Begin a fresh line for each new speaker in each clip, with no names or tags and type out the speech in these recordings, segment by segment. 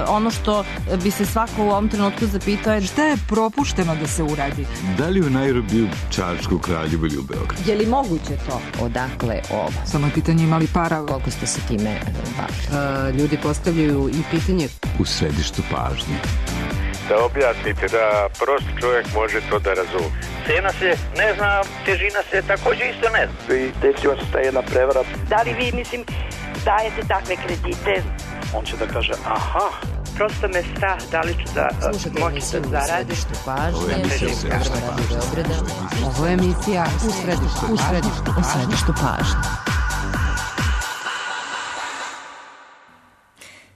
ono što bi se svako u ovom trenutku zapitao je
šta je propušteno da se uradi?
Da li u Nairobiju, Čačku, Kraljevu ili u Beogradu?
Je li moguće to?
Odakle ovo?
Samo je pitanje imali para.
Koliko ste se time bavili?
Ljudi postavljaju i pitanje.
U središtu pažnje.
Da objasnite, da prost čovjek može to da razumije.
Cena se ne zna, težina se također isto ne zna.
I desila se ta jedna prevara.
Da li vi, dajete takve kredite?
On će da kaže, aha.
Prosto me strah, da li ću da moći da zaradim.
Ovo je emisija u središtu pažnje.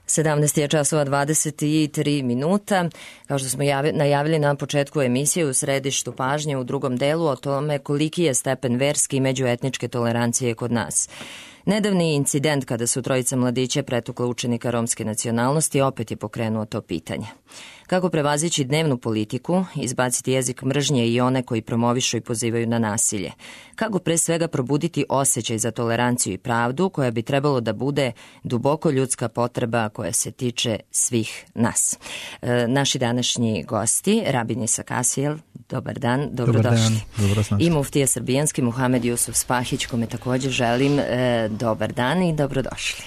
17 je časova 23 minuta. Kao što smo najavili na početku emisije u središtu pažnje u drugom delu o tome koliki je stepen verske i međuetničke tolerancije kod nas. Nedavni incident kada su trojica mladića pretukla učenika romske nacionalnosti opet je pokrenuo to pitanje. Kako prevazići dnevnu politiku, izbaciti jezik mržnje i one koji promovišu i pozivaju na nasilje? Kako pre svega probuditi osjećaj za toleranciju i pravdu koja bi trebalo da bude duboko ljudska potreba koja se tiče svih nas? Naši današnji gosti, Rabin Isak Asijel, dobar dan, dobrodošli. I muftija srbijanski Muhamed Jusuf Spahić, kome također želim dobar dan i dobrodošli.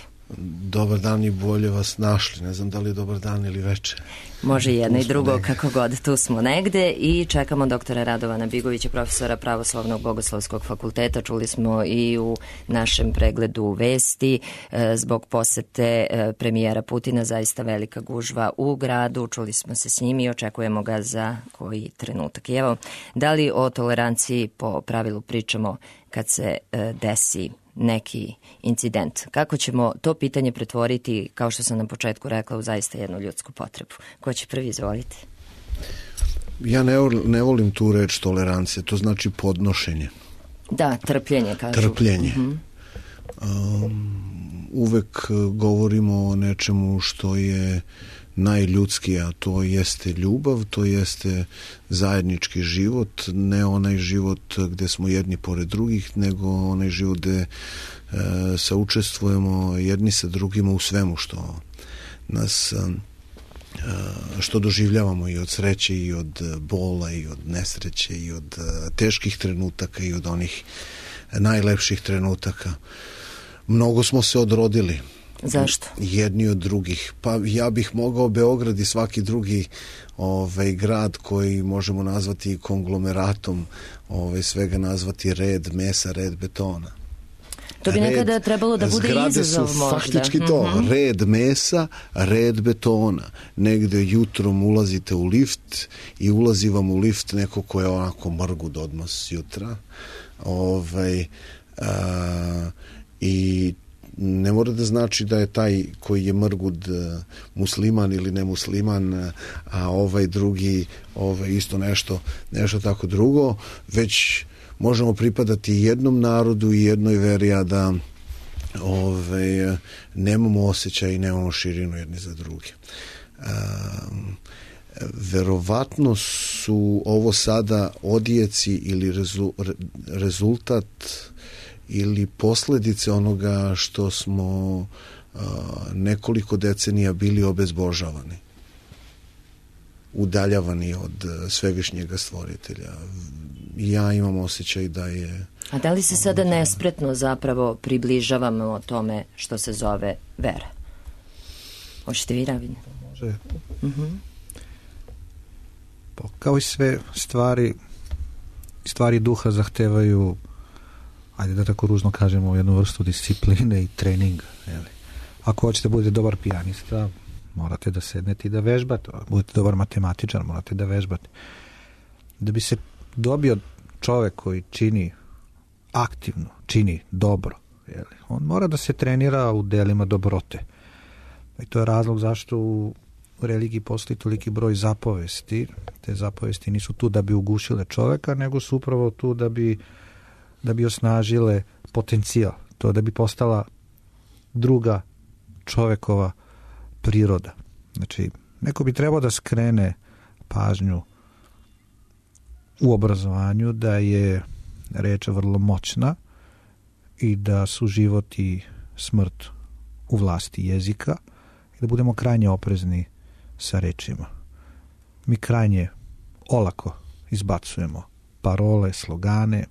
Dobar dan i bolje vas našli. Ne znam da li je dobar dan ili večer.
Može jedno i drugo, kako god. Tu smo negde i čekamo doktora Radovana Bigovića, profesora Pravoslavnog bogoslovskog fakulteta. Čuli smo i u našem pregledu vesti zbog posete premijera Putina, zaista velika gužva u gradu. Čuli smo se s njim i očekujemo ga za koji trenutak. I evo, da li o toleranciji po pravilu pričamo kad se desi neki incident? Kako ćemo to pitanje pretvoriti, kao što sam na početku rekla, u zaista jednu ljudsku potrebu? Ko će prvi, izvoliti?
Ja ne volim tu reč tolerancija, to znači podnošenje.
Da, trpljenje, kažu.
Trpljenje. Uvek govorimo o nečemu što je najljudskije, a to jeste ljubav, to jeste zajednički život, ne onaj život gde smo jedni pored drugih, nego onaj život gde saučestvujemo jedni sa drugima u svemu što nas što doživljavamo i od sreće i od bola i od nesreće i od teških trenutaka i od onih najlepših trenutaka. Mnogo smo se odrodili.
Zašto?
Jedni od drugih. Pa ja bih mogao Beograd i svaki drugi grad koji možemo nazvati konglomeratom, svega nazvati red mesa, red betona.
To bi nekada trebalo da bude izazov možda.
Zgrade su faktički to. Red mesa, red betona. Negde jutrom ulazite u lift i ulazi vam u lift neko ko je onako mrgud odmah jutra. I ne mora da znači da je taj koji je mrgud musliman ili nemusliman, a ovaj drugi isto nešto tako drugo, već možemo pripadati jednom narodu i jednoj veri, a da nemamo osjećaj i nemamo širinu jedni za druge. Verovatno su ovo sada odjeci ili rezultat ili posljedice onoga što smo nekoliko decenija bili obezbožavani, udaljavani od svevišnjega stvoritelja. Ja imam osjećaj da je...
A da li se sada nespretno zapravo približavamo tome što se zove vera? Hoćete vi, Rabin?
Može. Kao i sve stvari duha zahtevaju, ajde da tako ružno kažemo, jednu vrstu discipline i treninga. Ako hoćete budete dobar pijanista, morate da sednete i da vežbate. Budete dobar matematičar, morate da vežbate. Da bi se dobio čovek koji čini aktivno, čini dobro, on mora da se trenira u delima dobrote. I to je razlog zašto u religiji postoji toliki broj zapovesti. Te zapovesti nisu tu da bi ugušile čoveka, nego su upravo tu da bi osnažile potencijal, to da bi postala druga čovekova priroda. Znači, neko bi trebao da skrene pažnju u obrazovanju da je reč vrlo moćna i da su život i smrt u vlasti jezika i da budemo krajnje oprezni sa rečima. Mi krajnje olako izbacujemo parole, slogane,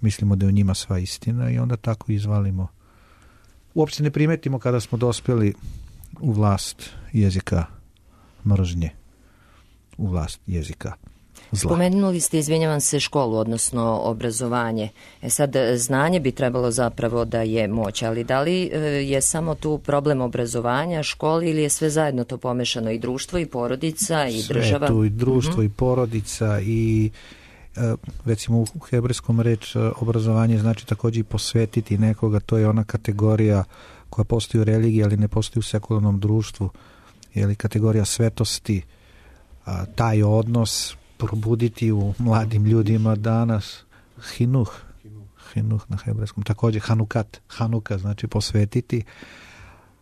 mislimo da je u njima sva istina i onda tako izvalimo. Uopće ne primetimo kada smo dospjeli u vlast jezika mržnje, u vlast jezika zla.
Spomenuli ste, izvinjavam se, školu, odnosno obrazovanje. Sad, znanje bi trebalo zapravo da je moć, ali da li je samo tu problem obrazovanja, školi, ili je sve zajedno to pomešano, i društvo, i porodica, i država?
Sve tu, i društvo, i porodica, i recimo u hebrejskom reč obrazovanje znači također i posvetiti nekoga, to je ona kategorija koja postoji u religiji, ali ne postoji u sekularnom društvu, je li kategorija svetosti, taj odnos probuditi u mladim ljudima danas, hinuh na hebrejskom, također hanuka znači posvetiti.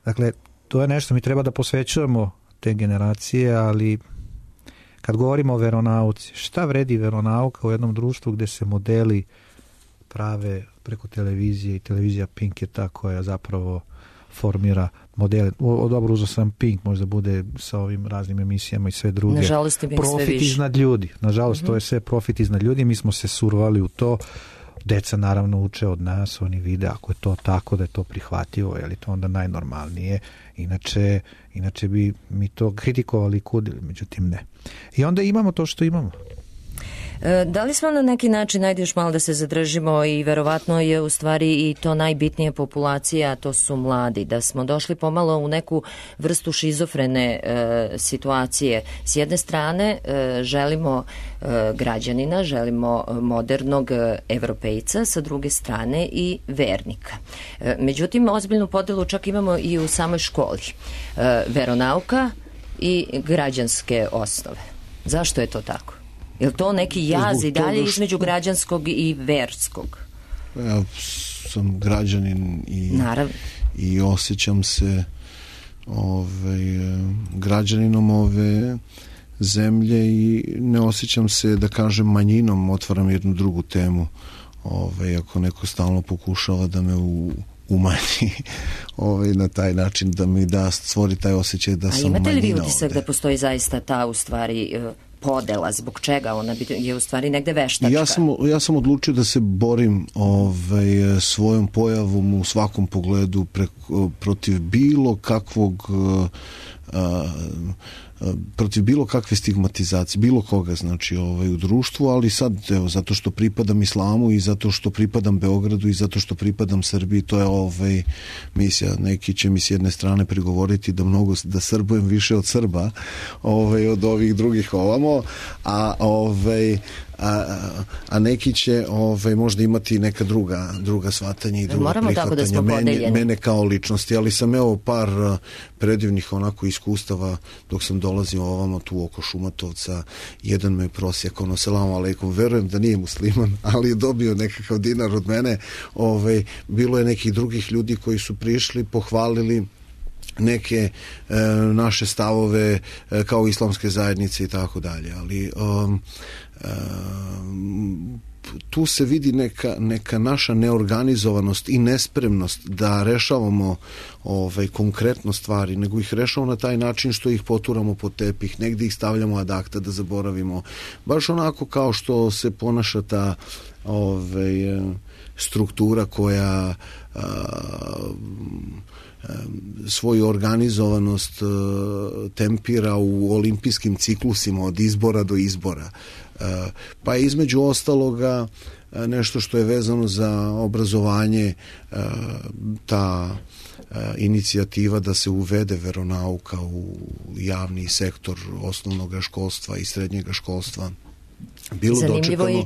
Dakle, to je nešto, mi treba da posvećujemo te generacije, ali kad govorimo o veronauci, šta vredi veronauka u jednom društvu gdje se modeli prave preko televizije, i televizija Pink je ta koja zapravo formira modele. Dobro, uzeo sam Pink, možda bude sa ovim raznim emisijama i sve druge.
Nažalost,
profit iznad ljudi. Nažalost, to je sve profit iznad ljudi. Mi smo se survali u to. Deca naravno uče od nas, oni vide ako je to tako, da je to prihvatljivo, je li to onda najnormalnije. Inače bi mi to kritikovali i kudili, međutim ne. I onda imamo to što imamo.
Da li smo na neki način, ajde još malo da se zadržimo, i verovatno je u stvari i to najbitnija populacija, a to su mladi, da smo došli pomalo u neku vrstu šizofrene situacije. S jedne strane želimo građanina, želimo modernog evropejca, sa druge strane i vernika. Međutim, ozbiljnu podelu čak imamo i u samoj školi. Veronauka i građanske osnove. Zašto je to tako? Je li to neki jaz i dalje između građanskog i verskog?
Ja sam građanin i osjećam se građaninom ove zemlje i ne osjećam se, da kažem, manjinom. Otvaram jednu drugu temu. Ako neko stalno pokušava da me umanji na taj način, da mi stvori taj osjećaj da sam manjina. A imate li vi utisak da postoji zaista ta, u stvari, podela, zbog čega ona je u stvari negde veštačka? Ja sam odlučio da se borim svojom pojavom u svakom pogledu protiv bilo kakvog protiv bilo kakve stigmatizacije, bilo koga, znači u društvu, ali sad, evo, zato što pripadam islamu i zato što pripadam Beogradu i zato što pripadam Srbiji, to je misija. Neki će mi s jedne strane prigovoriti da srbujem više od Srba, od ovih drugih ovamo, a neki će možda imati neka druga shvatanja i druga prihvatanja mene kao ličnosti, ali sam par predivnih onako iskustava dok sam dolazio ovamo tu oko Šumatovca. Jedan me prosjekao, selamu alejkum, verujem da nije musliman, ali je dobio nekakav dinar od mene. Bilo je nekih drugih ljudi koji su prišli, pohvalili neke naše stavove kao islamske zajednice i tako dalje, ali tu se vidi neka naša neorganizovanost i nespremnost da rešavamo konkretno stvari, nego ih rešavamo na taj način što ih poturamo pod tepih, negdje ih stavljamo ad acta da zaboravimo. Baš onako kao što se ponaša ta struktura koja svoju organizovanost tempira u olimpijskim ciklusima od izbora do izbora. Pa između ostaloga nešto što je vezano za obrazovanje, ta inicijativa da se uvede veronauka u javni sektor osnovnog školstva i srednjeg školstva.
Zanimljivo je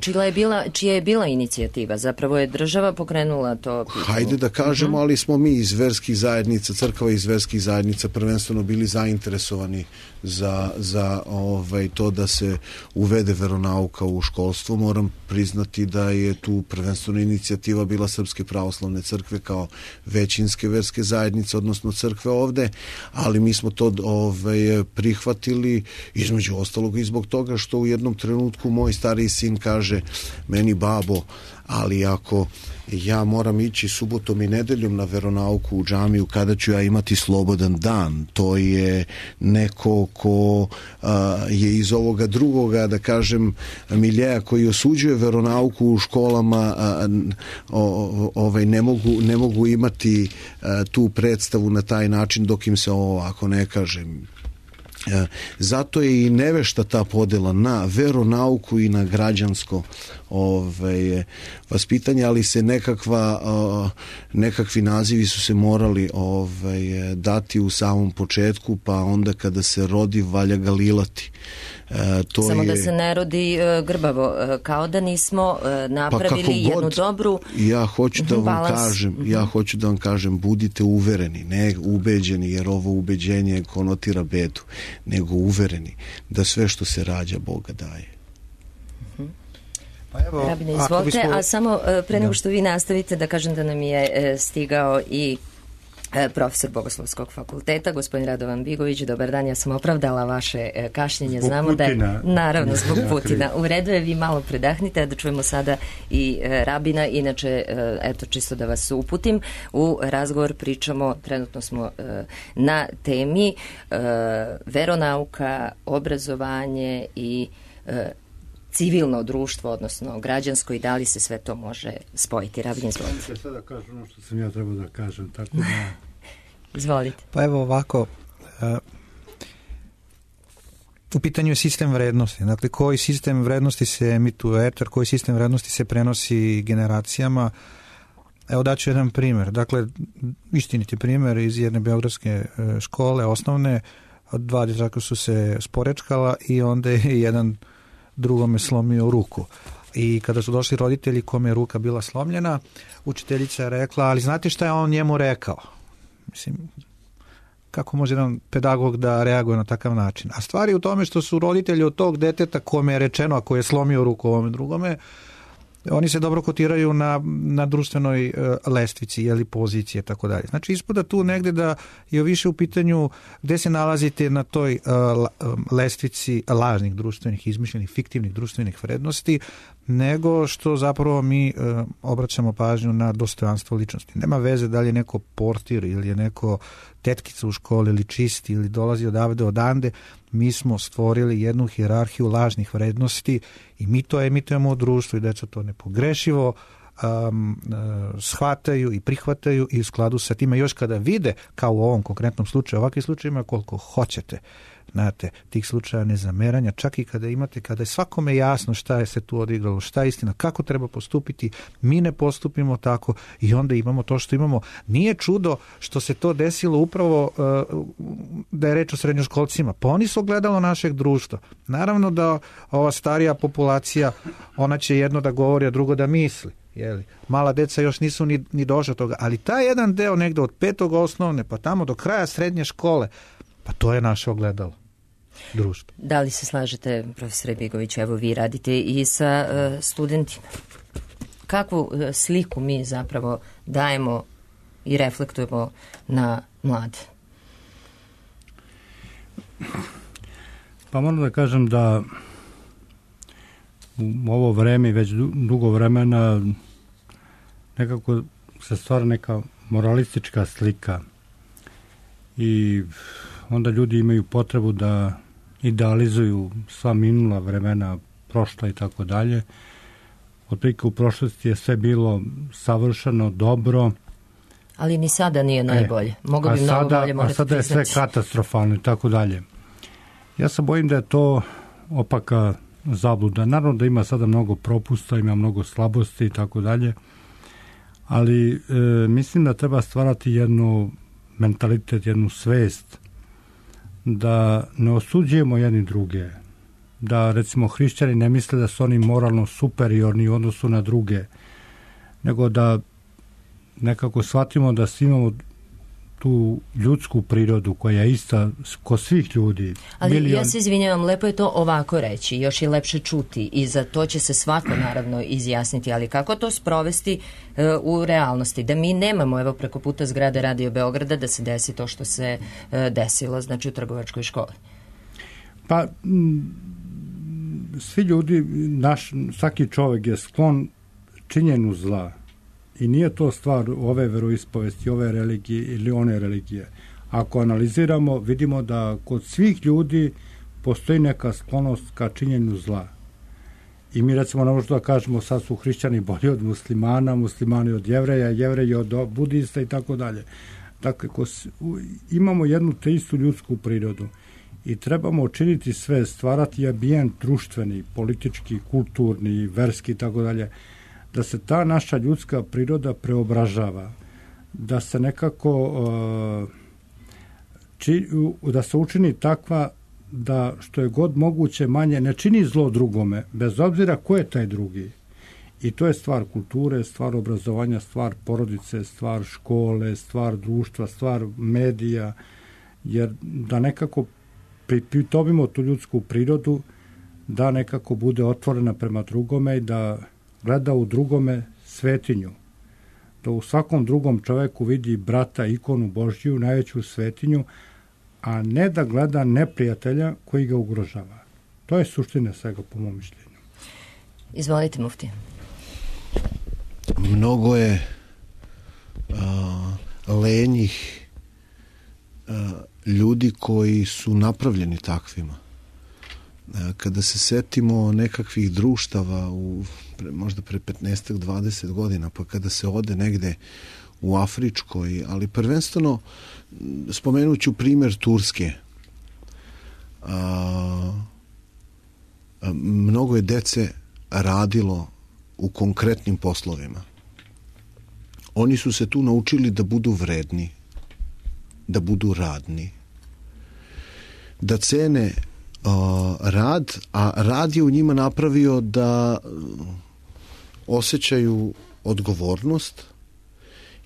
čija je bila inicijativa. Zapravo je država pokrenula to pitanje.
Hajde da kažemo, ali smo mi iz verskih zajednica, crkva iz verskih zajednica prvenstveno bili zainteresovani za to da se uvede veronauka u školstvo. Moram priznati da je tu prvenstveno inicijativa bila Srpske pravoslavne crkve kao većinske verske zajednice, odnosno crkve ovde, ali mi smo to prihvatili između ostalog i zbog toga što u jednom trenutku moj stariji sin kaže meni babo, ali ako ja moram ići subotom i nedeljom na veronauku u džamiju, kada ću ja imati slobodan dan? To je neko ko je iz ovoga drugoga, da kažem, miljeja koji osuđuje veronauku u školama, ne mogu imati tu predstavu na taj način dok im se ovako ne kaže. Zato je i nevešta ta podela na veronauku i na građansko vaspitanje, ali se nekakvi nazivi su se morali dati u samom početku, pa onda kada se rodi valja ga lilati.
Samo da se ne rodi grbavo, kao da nismo napravili jednu dobru
ja hoću da vam kažem, budite uvereni, ne ubeđeni, jer ovo ubeđenje konotira bedu, nego uvereni da sve što se rađa Boga daje.
Pa evo,
Rabine, izvolite, a samo pre nego što vi nastavite da kažem da nam je stigao i profesor Bogoslovskog fakulteta, gospodin Radovan Bigović. Dobar dan, ja sam opravdala vaše kašnjenje.
Zbog
znamo
Putina.
Da je, naravno, zbog Putina. U redu je, vi malo predahnite, da čujemo sada i Rabina. Inače, eto, čisto da vas uputim u razgovor, pričamo, trenutno smo na temi veronauka, obrazovanje i civilno društvo, odnosno građansko, i da li se sve to može spojiti. Rabin, izvolite.
Ja sada kažem ono što sam ja trebao da kažem, tako da...
Izvolite.
Pa evo ovako, u pitanju je sistem vrednosti. Dakle, koji sistem vrednosti se emituje u etar, koji sistem vrednosti se prenosi generacijama. Evo daću jedan primjer. Dakle, istiniti primjer iz jedne beogradske škole, osnovne. Dva dječaka su se sporečkala i onda je jedan drugome slomio ruku. I kada su došli roditelji kome je ruka bila slomljena, učiteljica je rekla, ali znate šta je on njemu rekao? Mislim, kako može jedan pedagog da reaguje na takav način? A stvar je u tome što su roditelji od tog deteta kome je rečeno, ako je slomio ruku ovome drugome, oni se dobro kotiraju na društvenoj lestvici ili pozicije, tako dalje. Znači, ispada tu negde da je više u pitanju gde se nalazite na toj lestvici lažnih društvenih, izmišljenih, fiktivnih društvenih vrednosti, nego što zapravo mi obraćamo pažnju na dostojanstvo ličnosti. Nema veze da li je neko portir ili je neko tetkica u školi ili čisti ili dolazi odavde odande. Mi smo stvorili jednu hijerarhiju lažnih vrednosti i mi to emitujemo u društvu i deca to nepogrešivo shvataju i prihvataju i u skladu sa time još kada vide, kao u ovom konkretnom slučaju, ovakvi slučaj ima koliko hoćete. Znate, tih slučaja nezameranja, čak i kada je svakome jasno šta je se tu odigralo, šta je istina, kako treba postupiti, mi ne postupimo tako i onda imamo to što imamo. Nije čudo što se to desilo upravo da je reč o srednjoškolcima, pa oni su ogledalo našeg društva. Naravno da ova starija populacija, ona će jedno da govori, a drugo da misli. Jeli? Mala deca još nisu ni došli toga, ali taj jedan deo negde od 5. osnovne pa tamo do kraja srednje škole, pa to je naše ogledalo društva.
Da li se slažete, profesore Bigović, evo vi radite i sa studentima. Kakvu sliku mi zapravo dajemo i reflektujemo na mlade?
Pa moram da kažem da u ovo vreme, već dugo vremena, nekako se stvara neka moralistička slika i onda ljudi imaju potrebu da idealizuju sva minula vremena, prošla i tako dalje. Otprilike u prošlosti je sve bilo savršeno, dobro.
Ali ni sada nije najbolje. Mogu bi mnogo bolje, morate priznati.
A sada je sve katastrofalno i tako dalje. Ja se bojim da je to opaka zabluda. Naravno da ima sada mnogo propusta, ima mnogo slabosti i tako dalje, ali mislim da treba stvarati jednu mentalitet, jednu svest da ne osuđujemo jedni druge, da recimo hrišćani ne misle da su oni moralno superiorni u odnosu na druge, nego da nekako shvatimo da svi imamo tu ljudsku prirodu koja je ista kod svih ljudi.
Ali ja se izvinjavam, lepo je to ovako reći, još je lepše čuti i za to će se svako naravno izjasniti, ali kako to sprovesti u realnosti? Da mi nemamo, evo preko puta zgrade Radio Beograda, da se desi to što se desilo, znači u trgovačkoj školi.
Pa svi ljudi, svaki čovjek je sklon činjenju zla i nije to stvar ove veroispovesti, ove religije ili one religije. Ako analiziramo, vidimo da kod svih ljudi postoji neka sklonost ka činjenju zla. I mi recimo ne možemo da kažemo sad su hrišćani bolji od muslimana, muslimani od jevreja, jevreji od budista i tako dalje. Dakle, imamo jednu te istu ljudsku prirodu i trebamo učiniti sve, stvarati ambijent društveni, politički, kulturni, verski i tako dalje, da se ta naša ljudska priroda preobražava, da se nekako da se učini takva da što je god moguće manje ne čini zlo drugome, bez obzira ko je taj drugi. I to je stvar kulture, stvar obrazovanja, stvar porodice, stvar škole, stvar društva, stvar medija, jer da nekako pripitovimo tu ljudsku prirodu, da nekako bude otvorena prema drugome i da gleda u drugome svetinju. Da u svakom drugom čoveku vidi brata, ikonu Božju, najveću svetinju, a ne da gleda neprijatelja koji ga ugrožava. To je suština svega po mom mišljenju.
Izvolite, mufti.
Mnogo je lenjih ljudi koji su napravljeni takvima. Kada se setimo nekakvih društava možda pre 15-20 godina, pa kada se ode negde u Afričkoj, ali prvenstveno spomenut ću primjer Turske. Mnogo je dece radilo u konkretnim poslovima. Oni su se tu naučili da budu vredni, da budu radni, da cene rad, a rad je u njima napravio da osjećaju odgovornost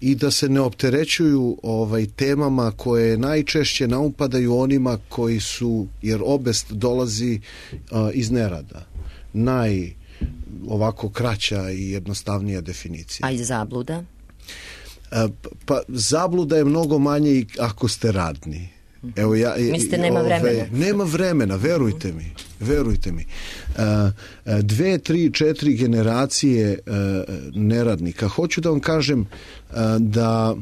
i da se ne opterećuju temama koje najčešće naupadaju onima koji su, jer obest dolazi iz nerada. Ovako kraća i jednostavnija definicija.
A i zabluda?
Pa zabluda je mnogo manje ako ste radni. Evo
mislite nema vremena?
Nema vremena, verujte mi. 2, 3, 4 generacije neradnika. Hoću da vam kažem da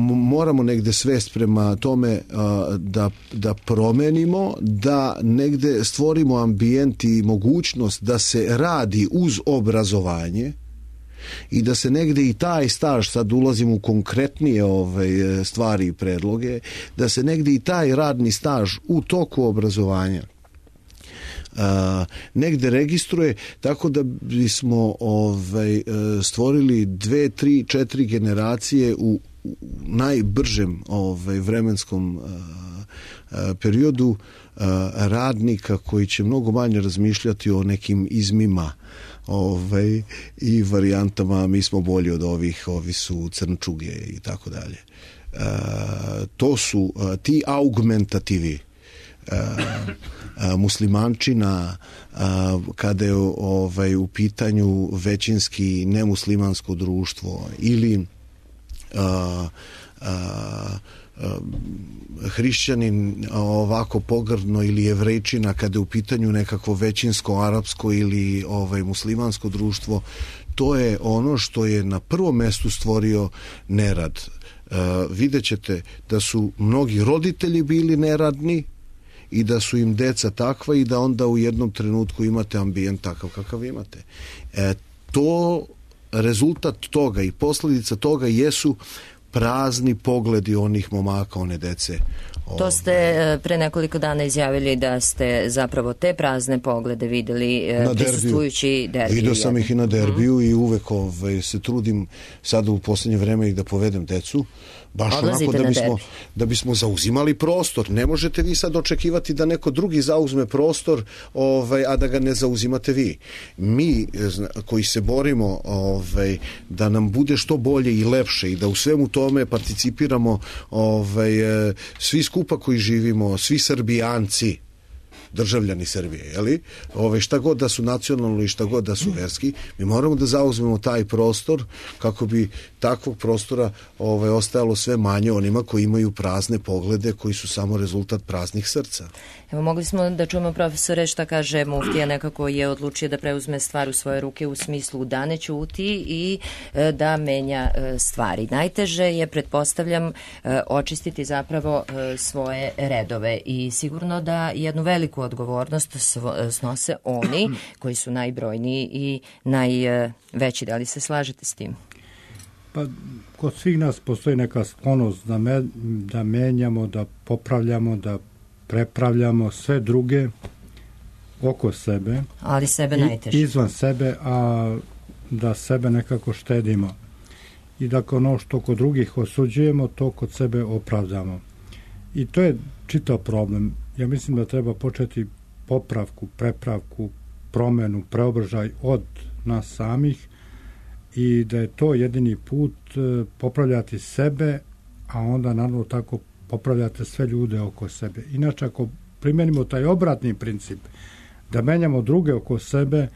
moramo negde svest prema tome da promenimo, da negde stvorimo ambijent i mogućnost da se radi uz obrazovanje i da se negde i taj staž, sad ulazimo u konkretnije stvari i predloge, da se negde i taj radni staž u toku obrazovanja negde registruje, tako da bismo stvorili 2, 3, 4 generacije u najbržem vremenskom periodu radnika koji će mnogo manje razmišljati o nekim izmima i varijantama, mi smo bolji od ovih, ovi su crnčuge i tako dalje. To su ti augmentativi. Muslimančina, kada je u pitanju većinski nemuslimansko društvo ili hrišćanin ovako pogrdno ili jevrejčina kada je u pitanju nekakvo većinsko arapsko ili muslimansko društvo, to je ono što je na prvom mestu stvorio nerad. Vidjet ćete da su mnogi roditelji bili neradni i da su im deca takva i da onda u jednom trenutku imate ambijent takav kakav imate. To rezultat toga i posljedica toga jesu prazni pogledi onih momaka, one dece.
To ste pre nekoliko dana izjavili da ste zapravo te prazne poglede videli prisustvujući derbiju.
Video sam ih i na derbiju i uvek se trudim sada u posljednje vreme i da povedem decu. Baš onako da bismo zauzimali prostor. Ne možete vi sad očekivati da neko drugi zauzme prostor, a da ga ne zauzimate vi. Mi koji se borimo da nam bude što bolje i lepše i da u svemu tome participiramo svi skupa koji živimo, svi Srbijanci, državljani Srbije, jeli? Šta god da su nacionalno i šta god da su verski, mi moramo da zauzmemo taj prostor kako bi takvog prostora ostajalo sve manje onima koji imaju prazne poglede, koji su samo rezultat praznih srca.
Evo, mogli smo da čujemo, profesore, šta kaže muftija, nekako je odlučio da preuzme stvar u svoje ruke u smislu da ne ćuti i da menja stvari. Najteže je, pretpostavljam, očistiti zapravo svoje redove i sigurno da jednu veliku odgovornost snose oni koji su najbrojniji i najveći. Da li se slažete s tim?
Pa, kod svih nas postoji neka sklonost da menjamo, da popravljamo, da prepravljamo sve druge oko sebe.
Ali sebe najteže.
Izvan sebe, a da sebe nekako štedimo. I da ono što kod drugih osuđujemo, to kod sebe opravdamo. I to je čitav problem. Ja mislim da treba početi popravku, prepravku, promenu, preobražaj od nas samih i da je to jedini put popravljati sebe, a onda naravno tako popravljate sve ljude oko sebe. Inače, ako primenimo taj obratni princip, da menjamo druge oko sebe,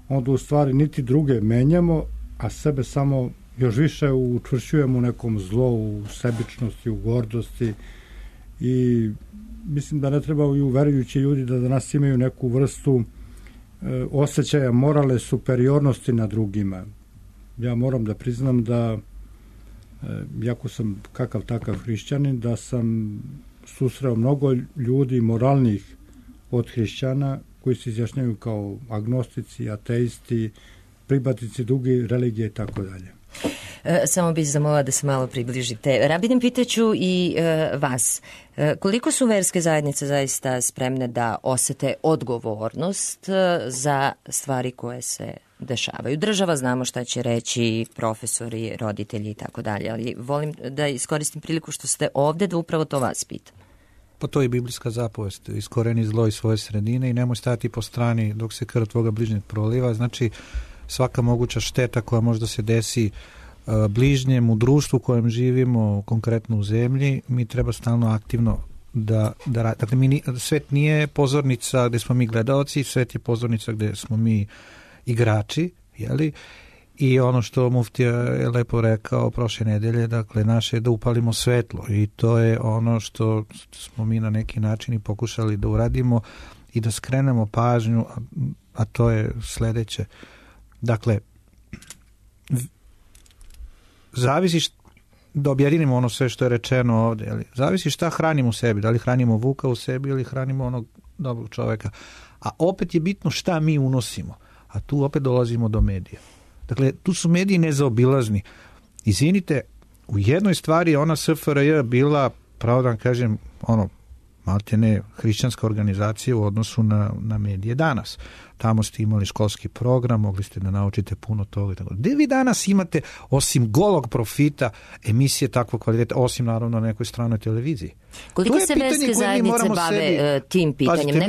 onda u stvari niti druge menjamo, a sebe samo još više učvršćujemo u nekom zlu, u sebičnosti, u gordosti i mislim da ne trebaju verujući ljudi da danas imaju neku vrstu osjećaja moralne superiornosti na drugima. Ja moram da priznam da jako sam kakav takav hrišćanin, da sam susreo mnogo ljudi moralnih od hrišćana koji se izjašnjaju kao agnostici, ateisti, prihvatnici druge religije i tako dalje.
Samo bih zamolila da se malo približite. Rabinem, pitaću i vas. Koliko su verske zajednice zaista spremne da osete odgovornost za stvari koje se dešavaju? Država, znamo šta će reći, profesori, roditelji i tako dalje, ali volim da iskoristim priliku što ste ovde da upravo to vas pitam.
Pa to je biblijska zapovest. Iskoreni zlo iz svoje sredine i nemoj stajati po strani dok se krv tvoga bližnjeg proliva. Znači, svaka moguća šteta koja možda se desi bližnjem u društvu u kojem živimo, konkretno u zemlji, mi treba stalno aktivno da dakle, svet nije pozornica gde smo mi gledaoci, svet je pozornica gde smo mi igrači, jeli? I ono što muftija je lepo rekao prošle nedelje, dakle, naše je da upalimo svetlo i to je ono što smo mi na neki način i pokušali da uradimo i da skrenemo pažnju, a to je sledeće. Dakle, zavisi da objedinimo ono sve što je rečeno ovde, ali zavisi šta hranimo u sebi, da li hranimo vuka u sebi ili hranimo onog dobrog čoveka. A opet je bitno šta mi unosimo, a tu opet dolazimo do medija. Dakle, tu su mediji nezaobilazni. Izvinite, u jednoj stvari ona SFRJ bila, pravo da vam kažem, maltene hrišćanska organizacija u odnosu na medije danas. Tamo ste imali školski program, mogli ste da naučite puno toga. Gde vi danas imate, osim golog profita, emisije takvog kvaliteta, osim naravno na nekoj stranoj televiziji?
Koliko se verske zajednice bave tim pitanjem?
Pazite,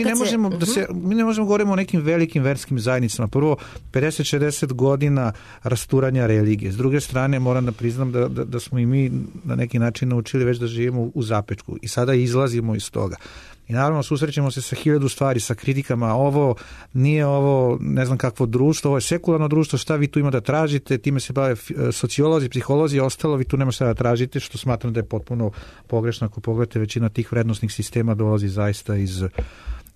mi ne možemo govoriti o nekim velikim verskim zajednicama. Prvo, 50-60 godina rasturanja religije. S druge strane, moram da priznam da smo i mi na neki način naučili već da živimo u zapečku i sada izlazimo iz toga. I naravno susrećemo se sa 1000 stvari, sa kritikama, ovo nije ovo ne znam kakvo društvo, ovo je sekularno društvo, šta vi tu ima da tražite, time se bave sociolozi, psiholozi, ostalo vi tu nema šta da tražite, što smatram da je potpuno pogrešno. Ako pogledate, većina tih vrednosnih sistema dolazi zaista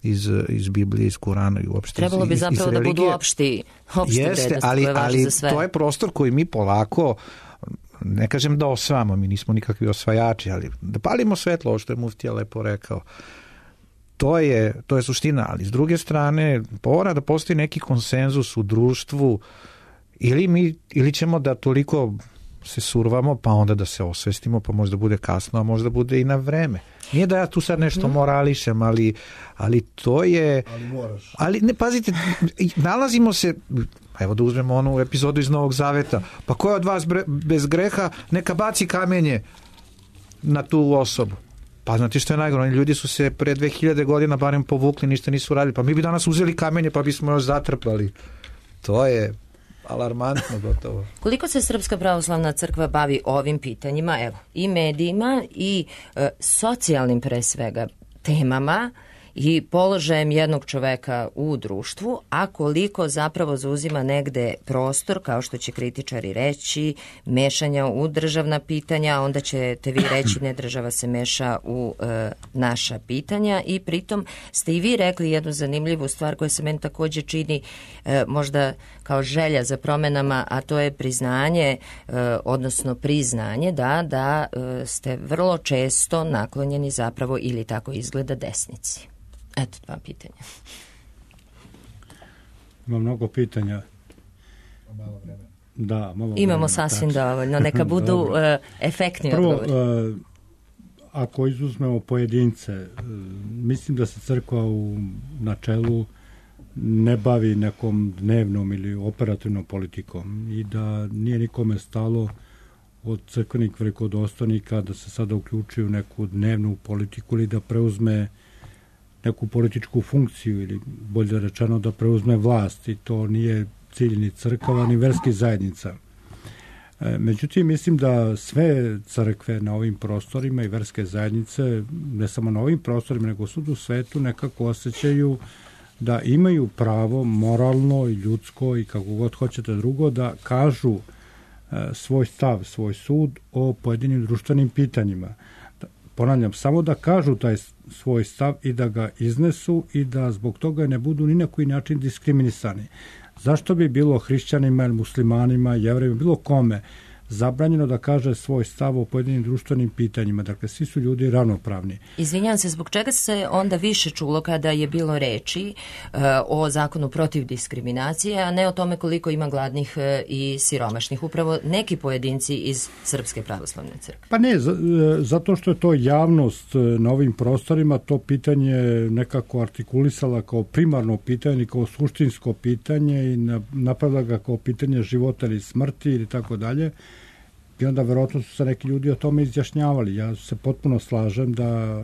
iz Biblije, iz Kurana i uopšte
trebalo bi zapravo da budu opšte
jeste, ali to je prostor koji mi polako, ne kažem da osvajamo, mi nismo nikakvi osvajači, ali da palimo svetlo, ovo što je muftija lepo rekao. To je suština, ali s druge strane mora da postoji neki konsenzus u društvu ili ćemo da toliko se survamo pa onda da se osvestimo pa možda bude kasno, a možda bude i na vreme. Nije da ja tu sad nešto morališem, ali to je...
Ali moraš.
Ali ne, pazite, nalazimo se... Evo da uzmemo onu epizodu iz Novog Zaveta. Pa ko je od vas bez greha, neka baci kamenje na tu osobu. Pa znate što je najgore, ljudi su se pre 2000 godina barem povukli, ništa nisu radili, pa mi bi danas uzeli kamenje pa bismo još zatrpali. To je alarmantno gotovo.
Koliko se Srpska pravoslavna crkva bavi ovim pitanjima, evo, i medijima i socijalnim pre svega temama i položajem jednog čoveka u društvu, a koliko zapravo zauzima negde prostor, kao što će kritičari reći, mešanja u državna pitanja, onda ćete vi reći ne, država se meša u naša pitanja, i pritom ste i vi rekli jednu zanimljivu stvar koja se meni takođe čini možda kao želja za promenama, a to je priznanje, odnosno priznanje da ste vrlo često naklonjeni zapravo, ili tako izgleda, desnici. Eto, 2 pitanja.
Ima mnogo pitanja.
Malo vremena.
Da, malo
imamo
vremena,
sasvim dovoljno. Neka budu efektni odgovori.
Prvo, ako izuzmemo pojedince, mislim da se crkva u načelu ne bavi nekom dnevnom ili operativnom politikom i da nije nikome stalo od crkvenih velikodostojnika da se sada uključuju u neku dnevnu politiku ili da preuzme neku političku funkciju, ili bolje rečeno da preuzme vlast, i to nije cilj ni crkava ni verskih zajednica. Međutim, mislim da sve crkve na ovim prostorima i verske zajednice, ne samo na ovim prostorima, nego svud u svetu, nekako osjećaju da imaju pravo moralno i ljudsko i kako god hoćete drugo da kažu svoj stav, svoj sud o pojedinim društvenim pitanjima. Ponavljam, samo da kažu taj svoj stav i da ga iznesu i da zbog toga ne budu ni na koji način diskriminisani. Zašto bi bilo hrišćanima, muslimanima, jevrejima, bilo kome zabranjeno da kaže svoj stav o pojedinim društvenim pitanjima? Dakle, svi su ljudi ravnopravni.
Izvinjam se, zbog čega se onda više čulo kada je bilo reči o zakonu protiv diskriminacije, a ne o tome koliko ima gladnih i siromašnih? Upravo neki pojedinci iz Srpske pravoslavne crkve.
Pa ne, zato što je to javnost na ovim prostorima to pitanje nekako artikulisala kao primarno pitanje, kao suštinsko pitanje i napravila ga kao pitanje života ili smrti ili tako dalje. I onda verovatno su se neki ljudi o tome izjašnjavali. Ja se potpuno slažem da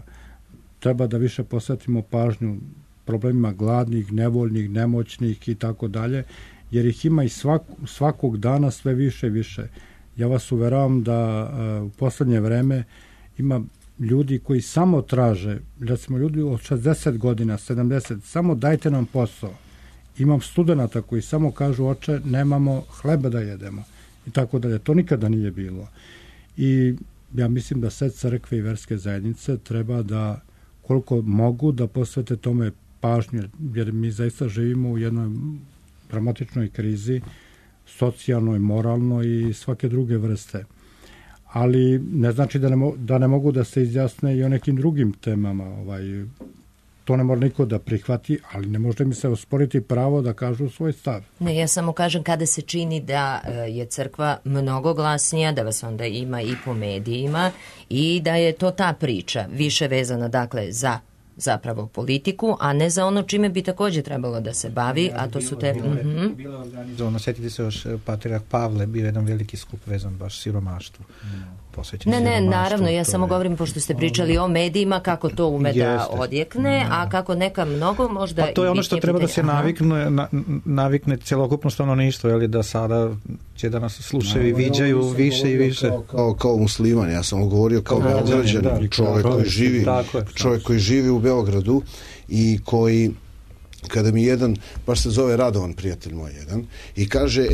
treba da više posvetimo pažnju problemima gladnih, nevoljnih, nemoćnih i tako dalje, jer ih ima i svakog dana sve više i više. Ja vas uveravam da u poslednje vreme ima ljudi koji samo traže, recimo ljudi od 60 godina, 70, samo dajte nam posao. Imam studenata koji samo kažu, oče, nemamo hleba da jedemo. I tako dalje. To nikada nije bilo. I ja mislim da sve crkve i verske zajednice treba da, koliko mogu, da posvete tome pažnju, jer mi zaista živimo u jednoj dramatičnoj krizi, socijalnoj, moralnoj i svake druge vrste. Ali ne znači da ne mogu da se izjasne i o nekim drugim temama. To ne mora niko da prihvati, ali ne može mi se osporiti pravo da kažu svoj stav.
Ne, ja samo kažem kada se čini da je crkva mnogo glasnija, da vas onda ima i po medijima i da je to ta priča više vezana, dakle, za zapravo politiku, a ne za ono čime bi takođe trebalo da se bavi, a to su te...
Bilo je organizovano, setite se još, Patrijarh Pavle bio jedan veliki skup vezan baš siromaštvu.
Ne, naravno, ja samo govorim, pošto ste pričali o medijima, kako to ume da odjekne, a kako neka mnogo možda...
Pa to je ono što treba da se navikne celokupno stanovništvo, je li da sada će da nas slušaju i viđaju više i više.
Kao musliman, ja sam govorio kao Beograđanin, čovjek koji živi u Beogradu i koji, kada mi jedan, baš se zove Radovan, prijatelj moj jedan, i kaže,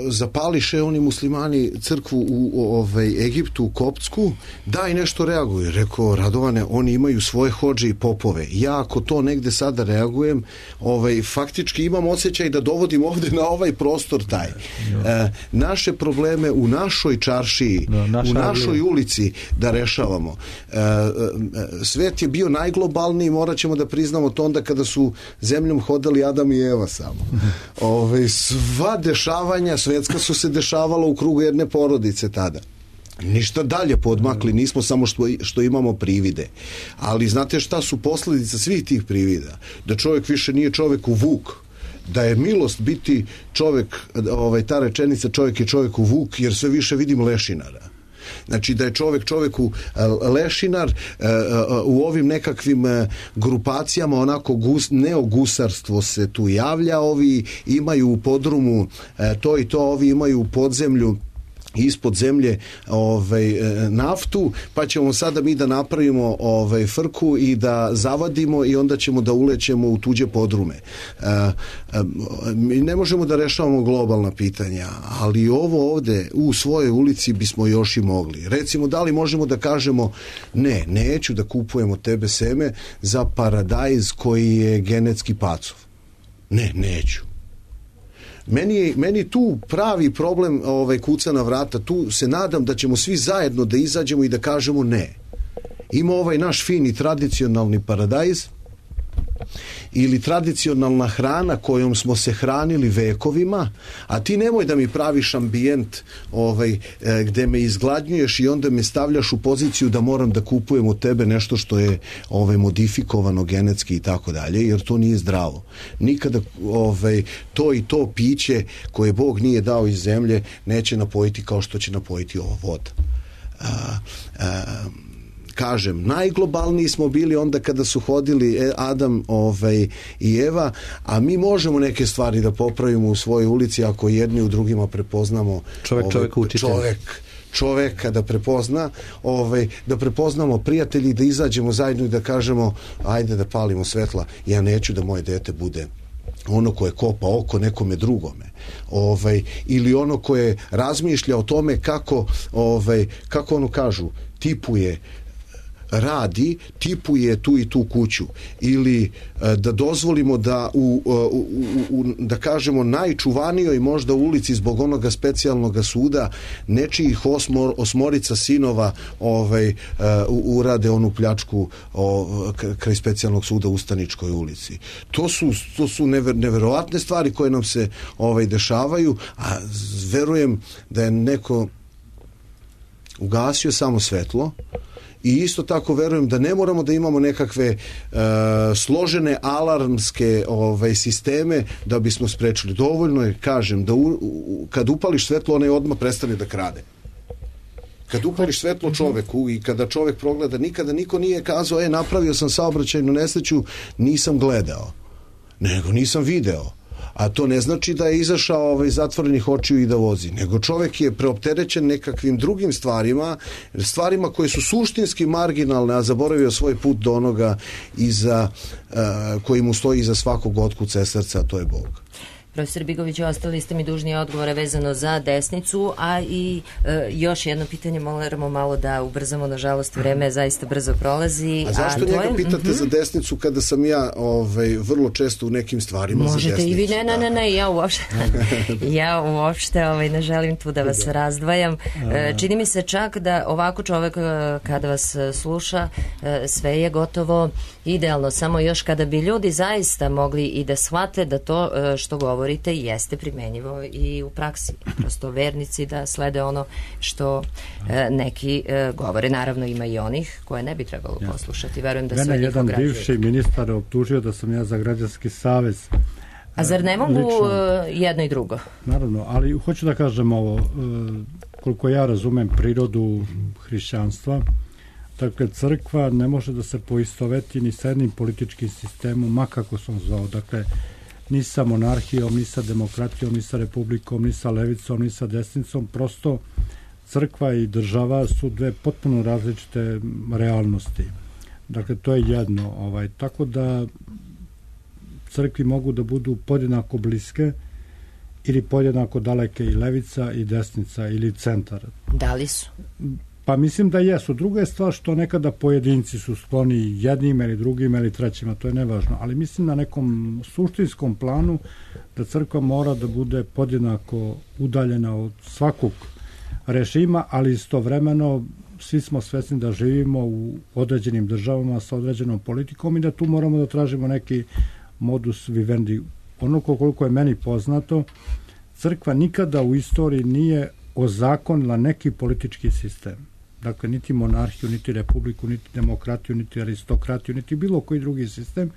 zapališe oni muslimani crkvu u Egiptu, u Koptsku, daj nešto reaguju. Rekao, Radovane, oni imaju svoje hodže i popove. Ja ako to negde sada reagujem, faktički imam osjećaj da dovodim ovde na ovaj prostor taj. Naše probleme u našoj čaršiji, u našoj ulici da rešavamo. Svet je bio najglobalniji, morat ćemo da priznamo to onda kada su zemljom hodali Adam i Eva samo. Sva dešavanja svetska su se dešavala u krugu jedne porodice tada. Ništa dalje podmakli, nismo samo što imamo privide. Ali znate šta su posledice svih tih privida? Da čovjek više nije čovjeku vuk, da je milost biti čovjek, ta rečenica čovjek je čovjeku vuk, jer sve više vidim lešinara. Znači da je čovjeku lešinar, u ovim nekakvim grupacijama onako neogusarstvo se tu javlja, ovi imaju u podrumu to i to, ovi imaju u podzemlju ispod zemlje naftu, pa ćemo sada mi da napravimo frku i da zavadimo i onda ćemo da ulećemo u tuđe podrume. Mi ne možemo da rešavamo globalna pitanja, ali ovo ovde u svojoj ulici bismo još i mogli. Recimo, da li možemo da kažemo neću da kupujem od tebe seme za paradajz koji je genetski pacov. Neću. Meni tu pravi problem kuca na vrata. Tu se nadam da ćemo svi zajedno da izađemo i da kažemo ne. Ima naš fini tradicionalni paradajz ili tradicionalna hrana kojom smo se hranili vekovima, a ti nemoj da mi praviš ambijent gde me izgladnjuješ i onda me stavljaš u poziciju da moram da kupujem od tebe nešto što je modifikovano genetski i tako dalje, jer to nije zdravo. Nikada to i to piće koje Bog nije dao iz zemlje neće napojiti kao što će napojiti ova voda. Kažem, najglobalniji smo bili onda kada su hodili Adam i Eva, a mi možemo neke stvari da popravimo u svojoj ulici ako jedni u drugima prepoznamo čoveka da prepozna, da prepoznamo prijatelji, da izađemo zajedno i da kažemo ajde da palimo svetla, ja neću da moje dete bude ono koje kopa oko nekome drugome, ili ono koje razmišlja o tome kako ono kažu, tipuje radi, tipuje tu i tu kuću, ili da dozvolimo da da kažemo najčuvanijoj možda ulici zbog onoga specijalnog suda nečijih osmorica sinova urade onu pljačku kraj specijalnog suda u Ustaničkoj ulici. To su neverovatne stvari koje nam se dešavaju, a verujem da je neko ugasio samo svetlo. I isto tako verujem da ne moramo da imamo nekakve složene alarmske sisteme da bismo sprečili. Dovoljno je, kažem, da kad upališ svetlo, onaj odmah prestane da krade. Kad upališ svetlo čoveku i kada čovek progleda, nikada niko nije kazao napravio sam saobraćajnu nesreću, nisam gledao, nego nisam video. A to ne znači da je izašao zatvorenih očiju i da vozi, nego čovek je preopterećen nekakvim drugim stvarima koje su suštinski marginalne, a zaboravio svoj put do onoga koji mu stoji iza svakog otkuca srca, a to je Bog.
Profesor Bigović, ostali ste mi dužni odgovore vezano za desnicu, a i još jedno pitanje, moramo malo da ubrzamo, nažalost vreme zaista brzo prolazi.
A zašto njega pitate za desnicu kada sam ja vrlo često u nekim stvarima za desnicu?
Možete i vi, ne, ja uopšte ne želim tu da vas razdvajam. Čini mi se čak da ovako čovek kada vas sluša, sve je gotovo idealno, samo još kada bi ljudi zaista mogli i da shvate da to što govorite jeste primenjivo i u praksi. Prosto vernici da slede ono što neki govore. Naravno ima i onih koje ne bi trebalo poslušati. Verujem da sve njih ograđuje.
Mene jedan bivši ministar optužio da sam ja za građanski savez.
A zar ne mogu jedno i drugo?
Naravno, ali hoću da kažem ovo, koliko ja razumem prirodu hrišćanstva, dakle, crkva ne može da se poistoveti ni sa jednim političkim sistemom, ma kako sam zvao, dakle, ni sa monarhijom, ni sa demokratijom, ni sa republikom, ni sa levicom, ni sa desnicom, prosto crkva i država su dve potpuno različite realnosti. Dakle, to je jedno. Tako da crkvi mogu da budu podjednako bliske ili podjednako daleke i levica i desnica ili centar.
Da li su?
Pa mislim da jesu. Druga je stvar što nekada pojedinci su skloni jednim ili drugim ili trećima, to je nevažno, ali mislim na nekom suštinskom planu da crkva mora da bude podjednako udaljena od svakog režima, ali istovremeno svi smo svesni da živimo u određenim državama sa određenom politikom i da tu moramo da tražimo neki modus vivendi. Ono koliko je meni poznato, crkva nikada u istoriji nije ozakonila neki politički sistem. Dakle, niti monarhiju, niti republiku, niti demokratiju, niti aristokratiju, niti bilo koji drugi sistem,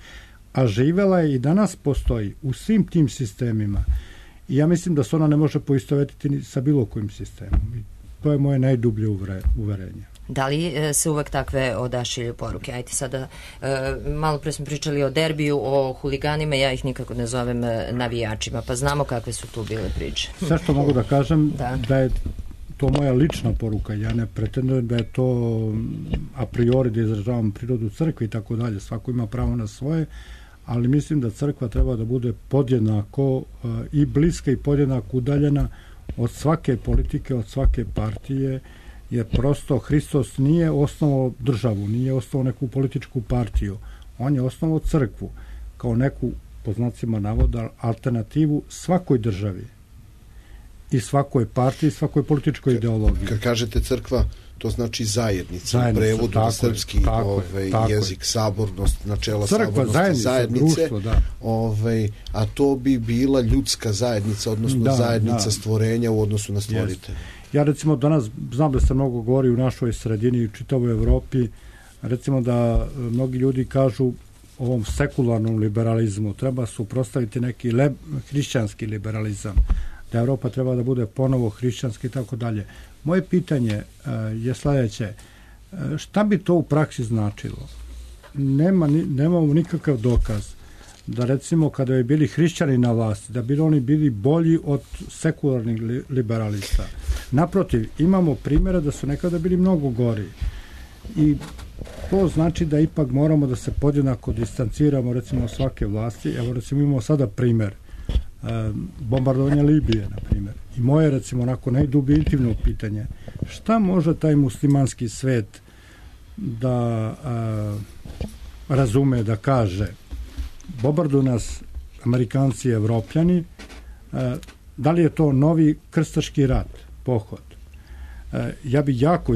a živela je i danas postoji u svim tim sistemima. I ja mislim da se ona ne može poistovetiti sa bilo kojim sistemom. I to je moje najdublje uverenje.
Da li se uvek takve odašilju poruke? Ajde sada, malo pre smo pričali o derbiju, o huliganima, ja ih nikako ne zovem navijačima, pa znamo kakve su tu bile priče.
Sve što mogu da kažem da je to moja lična poruka. Ja ne pretendujem da je to a priori da izražavam prirodu crkve i tako dalje. Svako ima pravo na svoje, ali mislim da crkva treba da bude podjednako i bliska i podjednako udaljena od svake politike, od svake partije, jer prosto Hristos nije osnovao državu, nije osnovao neku političku partiju. On je osnovao crkvu kao neku, po znacima navoda, alternativu svakoj državi i svakoj partiji, svakoj političkoj ideologiji.
Kad kažete crkva, to znači zajednica, u prevodu na srpski jezik, sabornost, načela crkva, sabornosti, zajednice,
društvo, da.
A to bi bila ljudska zajednica, odnosno zajednica stvorenja u odnosu na stvoritelja.
Ja recimo danas znam da se mnogo govori u našoj sredini i u čitavoj Evropi, recimo da mnogi ljudi kažu ovom sekularnom liberalizmu treba suprotstaviti neki hrišćanski liberalizam, da Evropa treba da bude ponovo hrišćanski i tako dalje. Moje pitanje je sledeće. Šta bi to u praksi značilo? Nemamo nikakav dokaz da recimo kada je bili hrišćani na vlasti, da bi oni bili bolji od sekularnih liberalista. Naprotiv, imamo primjera da su nekada bili mnogo gori. I to znači da ipak moramo da se podjednako distanciramo recimo od svake vlasti. Evo recimo imamo sada primjer bombardovanja Libije, na primjer. I moje recimo onako najdublje intimno pitanje, šta može taj muslimanski svet da razume, da kaže bombarduju nas Amerikanci i Evropljani, da li je to novi krstaški rat, pohod? Ja bi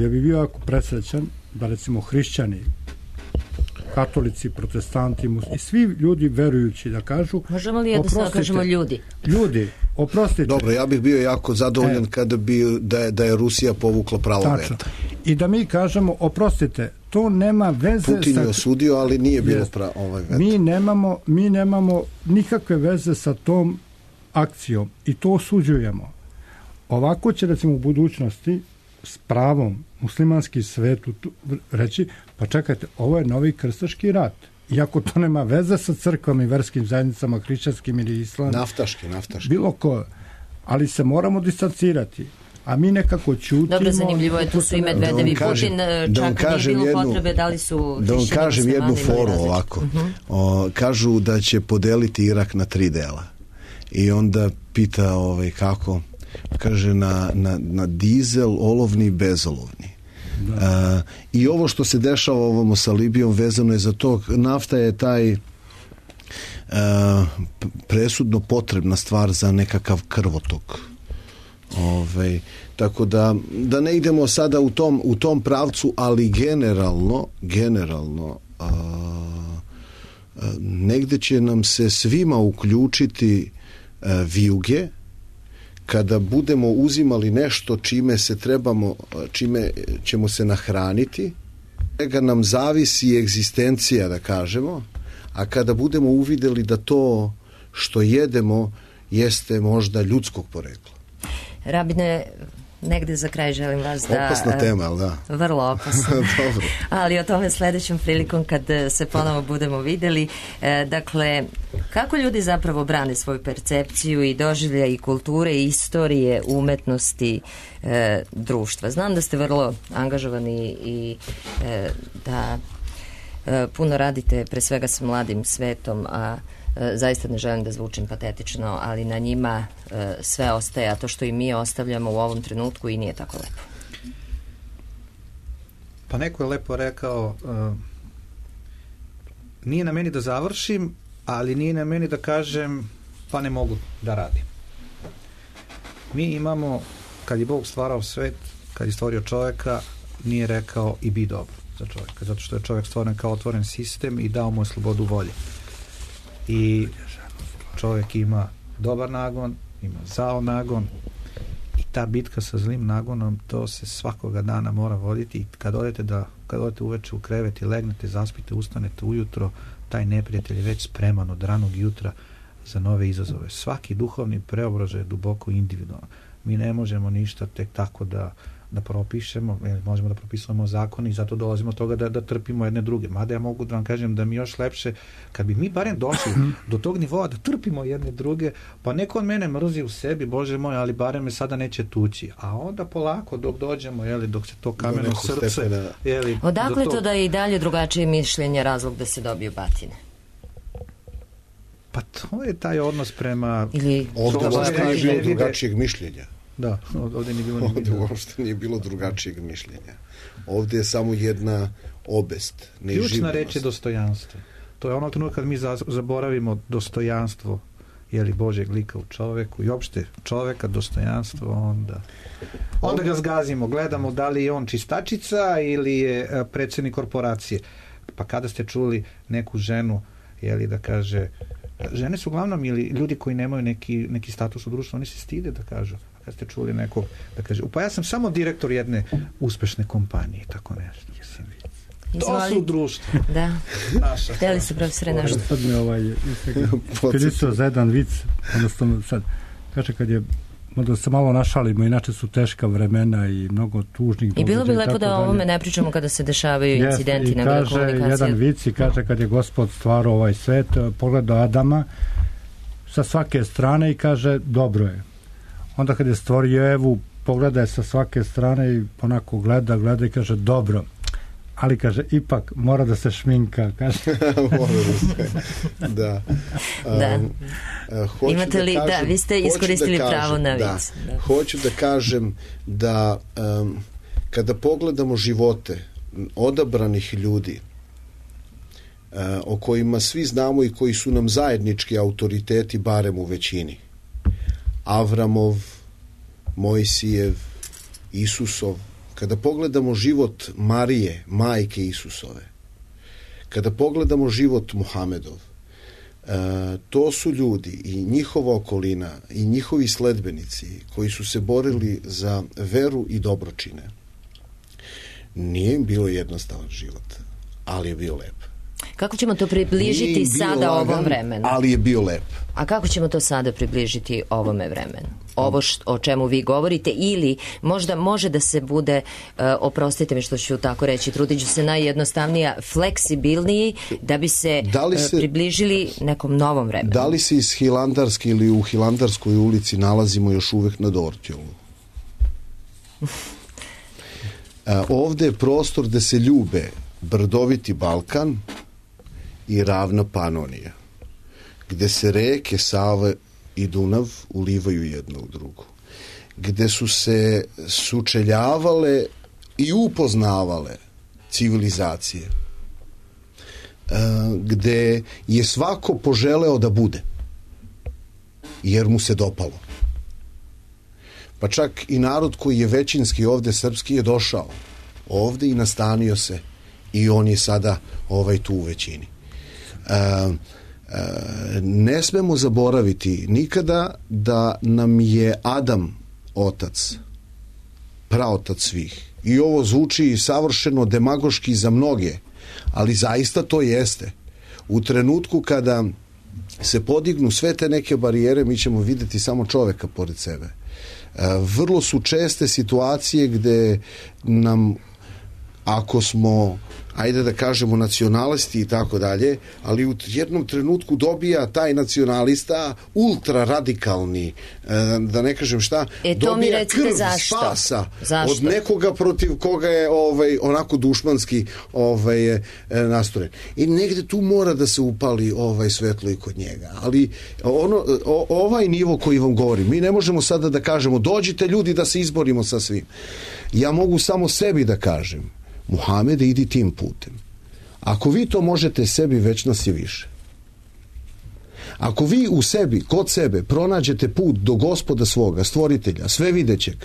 bio jako presrećan da recimo hrišćani, katolici, protestanti i svi ljudi verujući da kažu...
Možemo li jednostavno kažemo ljudi?
Ljudi, oprostite.
Dobro, ja bih bio jako zadovoljan kada bi da je Rusija povukla pravo veta.
I da mi kažemo, oprostite, to nema veze...
Putin je osudio, ali nije bilo veta.
Mi nemamo nikakve veze sa tom akcijom i to osuđujemo. Ovako će recimo u budućnosti s pravom muslimanski svet reći, pa čekajte, ovo je novi krstaški rat. Iako to nema veze sa crkvama i verskim zajednicama, hrišćanskim ili islamskim.
Naftaški.
Bilo ko. Ali se moramo distancirati. A mi nekako ćutimo...
Dobro, zanimljivo je, tu su i Medvedev i Putin, čak nije bilo potrebe, da li su...
Da vam kažem jednu foru ovako. Kažu da će podeliti Irak na 3 dela. I onda pita kako... Kaže na dizel, olovni i bezolovni. I ovo što se dešava ovamo sa Libijom vezano je za to, nafta je taj presudno potrebna stvar za nekakav krvotok. Tako da ne idemo sada u tom pravcu, ali generalno negde će nam se svima uključiti vijuge kada budemo uzimali nešto čime ćemo se nahraniti, čega nam zavisi egzistencija, da kažemo, a kada budemo uvideli da to što jedemo jeste možda ljudskog porekla.
Rabine, negde za kraj želim vas da...
Opasna tema, ali da?
Vrlo opasna.
Dobro.
Ali o tome sledećom prilikom kad se ponovo budemo videli. Dakle, kako ljudi zapravo brane svoju percepciju i doživlja i kulture i istorije umetnosti društva? Znam da ste vrlo angažovani i da puno radite pre svega sa mladim svetom, a zaista ne želim da zvučim patetično, ali na njima sve ostaje, a to što i mi ostavljamo u ovom trenutku i nije tako lepo.
Pa neko je lepo rekao, nije na meni da završim, ali nije na meni da kažem pa ne mogu da radim. Mi imamo, kad je Bog stvarao svet, kad je stvorio čoveka, nije rekao i bi dobro za čoveka, zato što je čovek stvoren kao otvoren sistem i dao mu je slobodu volje. I čovjek ima dobar nagon, ima zao nagon i ta bitka sa zlim nagonom, to se svakoga dana mora voditi. I kad odete uveče u krevet i legnete, zaspite, ustanete ujutro, taj neprijatelj je već spreman od ranog jutra za nove izazove. Svaki duhovni preobražaj je duboko individualan. Mi ne možemo ništa tek tako da propišemo, možemo da propisujemo zakon i zato dolazimo od toga da trpimo jedne druge. Mada ja mogu da vam kažem da mi još lepše, kad bi mi barem došli do tog nivoa da trpimo jedne druge, pa neko od mene mrzi u sebi, Bože moj, ali barem me sada neće tući. A onda polako dok dođemo, dok se to kameno srce...
Odakle to da je i dalje drugačije mišljenje razlog da se dobiju batine?
Pa to je taj odnos prema...
Ovdje nije bilo drugačijeg mišljenja.
Da, ovdje nije bilo
ovdje uopšte nije bilo drugačijeg mišljenja. Ovdje je samo jedna obest.
Ključna reč je dostojanstvo. To je ono trenutka kad mi zaboravimo dostojanstvo Božjeg lika u čoveku i opšte čoveka, dostojanstvo, onda ga zgazimo, gledamo da li je on čistačica ili je predsjednik korporacije. Pa kada ste čuli neku ženu da kaže, žene su uglavnom ili ljudi koji nemaju neki status u društvu, oni se stide da kažu. Kad ste čuli nekog da kaže, pa ja sam samo direktor jedne uspešne kompanije, tako nešto. To su društvo.
Da. Htjeli su profesore nešto.
Sad me iskreno za jedan vic, odnosno sad, kaže kad je, da se malo našalimo, inače su teška vremena i mnogo tužnih događaja.
I bilo bi lepo da o ovome ne pričamo kada se dešavaju incidenti na komunikacije.
I kaže jedan vic i kaže kad je Gospod stvarao ovaj svet, pogledao Adama sa svake strane i kaže dobro je. Onda kad je stvorio Evu, pogleda je sa svake strane i onako gleda i kaže dobro. Ali kaže, ipak mora da se šminka, kaže.
Mora da se, da.
Imate li, vi ste iskoristili pravo na vic.
Hoću da kažem da kada pogledamo živote odabranih ljudi o kojima svi znamo i koji su nam zajednički autoriteti, barem u većini. Avramov, Mojsijev, Isusov, kada pogledamo život Marije, majke Isusove, kada pogledamo život Muhamedov, to su ljudi i njihova okolina i njihovi sledbenici koji su se borili za veru i dobročine. Nije im bilo jednostavan život, ali je bio lep.
Kako ćemo to približiti sada ovom vremenu?
Ali je bio lep.
A kako ćemo to sada približiti ovome vremenu? Ovo o čemu vi govorite, ili možda može da se bude, oprostite mi što ću tako reći, trudit ću se najjednostavnija, fleksibilniji da bi se približili nekom novom vremenu.
Da li se iz Hilandarske ili u Hilandarskoj ulici nalazimo još uvek na Dortjolu? Ovde je prostor da se ljube brdoviti Balkan i ravna Panonija, gde se reke Sava i Dunav ulivaju jedno u drugu, gde su se sučeljavale i upoznavale civilizacije, gde je svako poželeo da bude, jer mu se dopalo. Pa čak i narod koji je većinski ovde srpski je došao ovde i nastanio se i on je sada tu u većini. Ne smemo zaboraviti nikada da nam je Adam otac, praotac svih. I ovo zvuči savršeno demagoški za mnoge, ali zaista to jeste. U trenutku kada se podignu sve te neke barijere, mi ćemo vidjeti samo čoveka pored sebe. Vrlo su česte situacije gde nam, ako smo, ajde da kažemo, nacionalisti i tako dalje, ali u jednom trenutku dobija taj nacionalista ultra radikalni, da ne kažem šta, dobija krv spasa od nekoga protiv koga je onako dušmanski nastrojen. I negde tu mora da se upali svetlo i kod njega. Ali ovaj nivo koji vam govorim, mi ne možemo sada da kažemo dođite ljudi da se izborimo sa svim. Ja mogu samo sebi da kažem, Muhamede, idi tim putem. Ako vi to možete sebi, već nas je više. Ako vi u sebi, kod sebe, pronađete put do Gospoda svoga, stvoritelja, sve videćeg,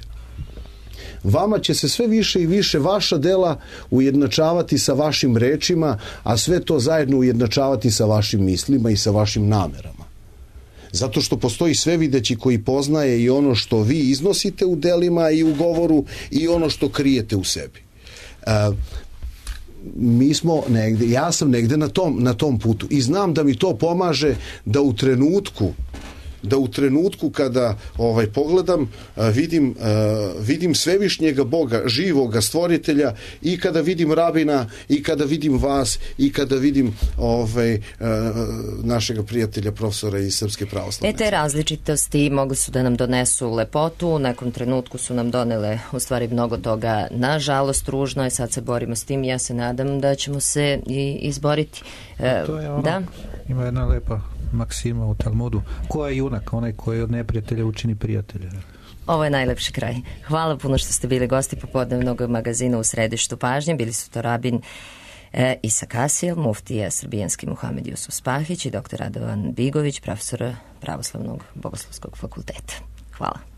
vama će se sve više i više vaša dela ujednačavati sa vašim rečima, a sve to zajedno ujednačavati sa vašim mislima i sa vašim namerama. Zato što postoji sve videći koji poznaje i ono što vi iznosite u delima i u govoru i ono što krijete u sebi. Mi smo negde, ja sam negde na tom putu i znam da mi to pomaže da u trenutku da u trenutku kada pogledam, vidim svevišnjega Boga, živoga stvoritelja, i kada vidim rabina, i kada vidim vas, i kada vidim našega prijatelja profesora iz Srpske pravoslavne.
Te različitosti mogli su da nam donesu lepotu, u nekom trenutku su nam donele u stvari mnogo toga, nažalost ružno je, sad se borimo s tim i ja se nadam da ćemo se i izboriti.
To je ono, ima jedna lepa maksima u Talmudu, ko je junak? Onaj koji od neprijatelja učini prijatelja.
Ovo je najlepši kraj. Hvala puno što ste bili gosti popodnevnog magazina U središtu pažnje. Bili su to rabin Isak Asil, muftija srbijanski Muhamed Jusuf Spahić i dr. Radovan Bigović, profesor Pravoslavnog bogoslovskog fakulteta. Hvala.